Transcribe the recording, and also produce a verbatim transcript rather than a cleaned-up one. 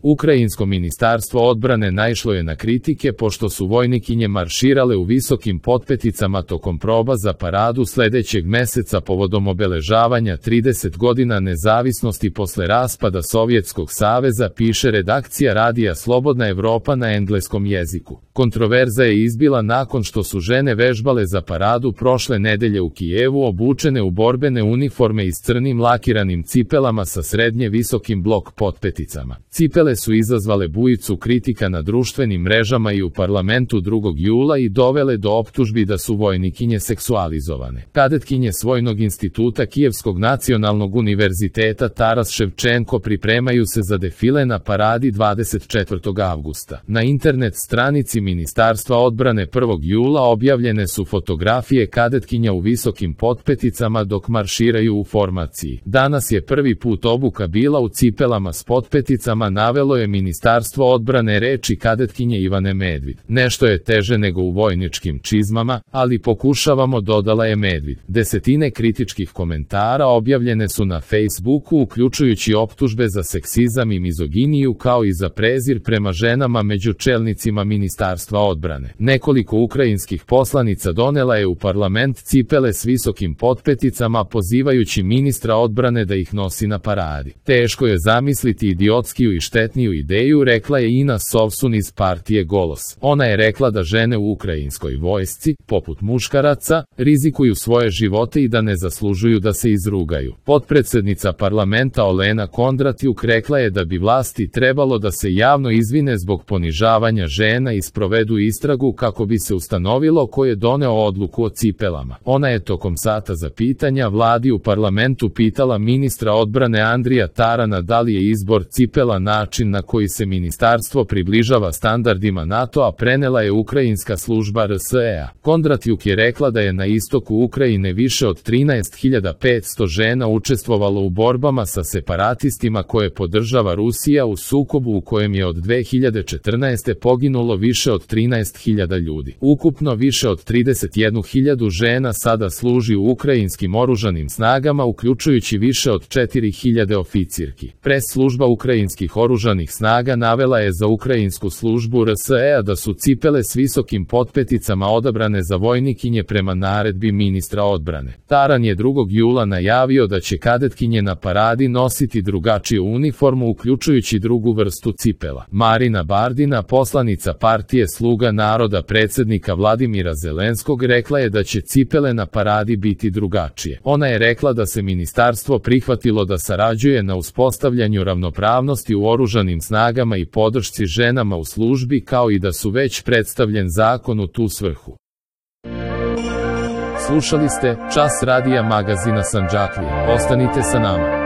Ukrajinsko ministarstvo odbrane naišlo je na kritike pošto su vojnikinje marširale u visokim potpeticama tokom proba za paradu sledećeg meseca povodom obeležavanja trideset godina nezavisnosti posle raspada Sovjetskog saveza, piše redakcija radija Slobodna Evropa na engleskom jeziku. Kontroverza je izbila nakon što su žene vežbale za paradu prošle nedelje u Kijevu obučene u borbene uniforme i s crnim lakiranim cipelama sa srednje visokim blok potpeticama. Cipele su izazvale bujicu kritika na društvenim mrežama i u parlamentu drugog jula i dovele do optužbi da su vojnikinje seksualizovane. Kadetkinje Svojnog instituta Kijevskog nacionalnog univerziteta Taras Ševčenko pripremaju se za defile na paradi dvadeset četvrtog avgusta. Na internet stranici Ministarstva odbrane prvog jula objavljene su fotografije kadetkinja u visokim potpeticama dok marširaju u formaciji. Danas je prvi put obuka bila u cipelama s potpeticama, navelo je Ministarstvo odbrane reči kadetkinje Ivane Medvid. Nešto je teže nego u vojničkim čizmama, ali pokušavamo, dodala je Medvid. Desetine kritičkih komentara objavljene su na Facebooku, uključujući optužbe za seksizam i mizoginiju kao i za prezir prema ženama među čelnicima Ministarstva odbrane. Nekoliko ukrajinskih poslanica donela je u parlament cipele s visokim potpeticama, pozivajući ministra odbrane da ih nosi na paradi. Teško je zamisliti idiotskiju i štetniju ideju, rekla je Ina Sovsun iz partije Golos. Ona je rekla da žene u ukrajinskoj vojsci, poput muškaraca, rizikuju svoje živote i da ne zaslužuju da se izrugaju. Potpredsednica parlamenta Olena Kondratjuk rekla je da bi vlasti trebalo da se javno izvine zbog ponižavanja žena i sprovedu istragu kako bi se ustanovilo ko je doneo odluku o cipelama. Ona je tokom sata za pitanja vladi u parlamentu pitala ministra odbrane Andrija Tarana da li je izbor cipela način na koji se ministarstvo približava standardima NATO-a, prenela je ukrajinska služba R S E A. Kondratjuk je rekla da je na istoku Ukrajine više od trinaest hiljada petsto žena učestvovalo u borbama sa separatistima koje podržava Rusija u sukobu u kojem je od dve hiljade četrnaeste. poginulo više od trinaest hiljada ljudi. Ukupno više od trideset jednu hiljadu žena sada služi u ukrajinskim oružanim snagama, uključujući više od četiri hiljade oficirki. Pres služba ukrajinskih oružanih snaga navela je za ukrajinsku službu R S E A da su cipele s visokim potpeticama odabrane za vojnikinje prema naredbi ministra odbrane. Taran je drugog jula najavio da će kadetkinje na paradi nositi drugačiju uniformu, uključujući drugu vrstu cipela. Marina Bardina, poslanica partije Sluga naroda predsednika Vladimira Zelenskog, rekla je da će cipele na paradi biti drugačije. Ona je rekla da se ministarstvo prihvatilo da sarađuje na uspostavljanju ravnopravnosti u oružanim snagama i podršci ženama u službi, kao i da su već predstavljen zakon u tu svrhu. Slušali ste Čas radija magazina Sandžaklije. Ostanite sa nama.